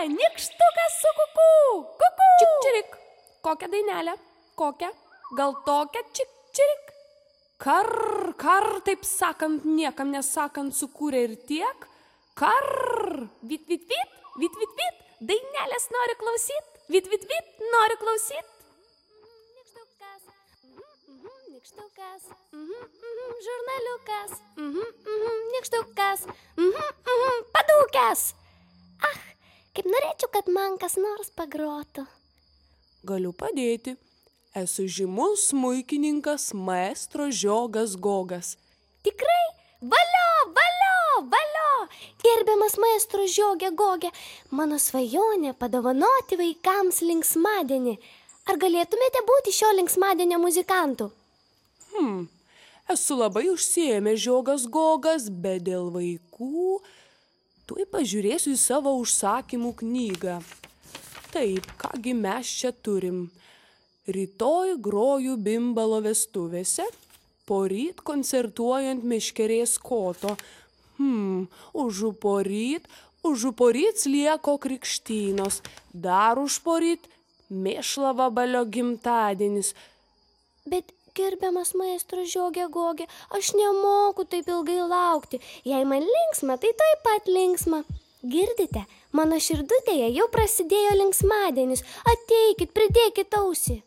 Nykštukas su kuku. Kuku. Čik-čirik. Kokią dainelę? Kokią? Gal tokią čik-čirik? Kar, taip sakant, niekam nesakant, sukūrė ir tiek. Kar. Vit, vit, vit, vit, vit, vit. Dainelės nori klausyt. Vit, vit, vit, nori klausyt. Nykštukas. Nykštukas. Žurnaliukas. Nykštukas. Padūkęs. Kaip norėčiau, kad man kas nors pagrotų. Galiu padėti. Esu žymus smuikininkas maestro Žiogas Gogas. Tikrai? Valio, valio, valio! Gerbiamas maestro Žiogė Gogė, mano svajonė padovanoti vaikams linksmadienį. Ar galėtumėte būti šio linksmadienio muzikantų? Esu labai užsiėmęs Žiogas Gogas, bet dėl vaikų tuoj pažiūrėsiu į savo užsakymų knygą. Taip, kągi mes čia turim. Rytoj groju Bimbalo vestuvėse, poryt koncertuojant Meškerės koto. Užuporyt Slieko krikštynos, dar užporyt Mėšlavabalio gimtadienis. Bet, gerbiamas maestro Žiogė Gogė, aš nemoku taip ilgai laukti. Jei man linksma, tai taip pat linksma. Girdite, mano širdutėje jau prasidėjo linksmadienis. Ateikit, pridėkit ausį.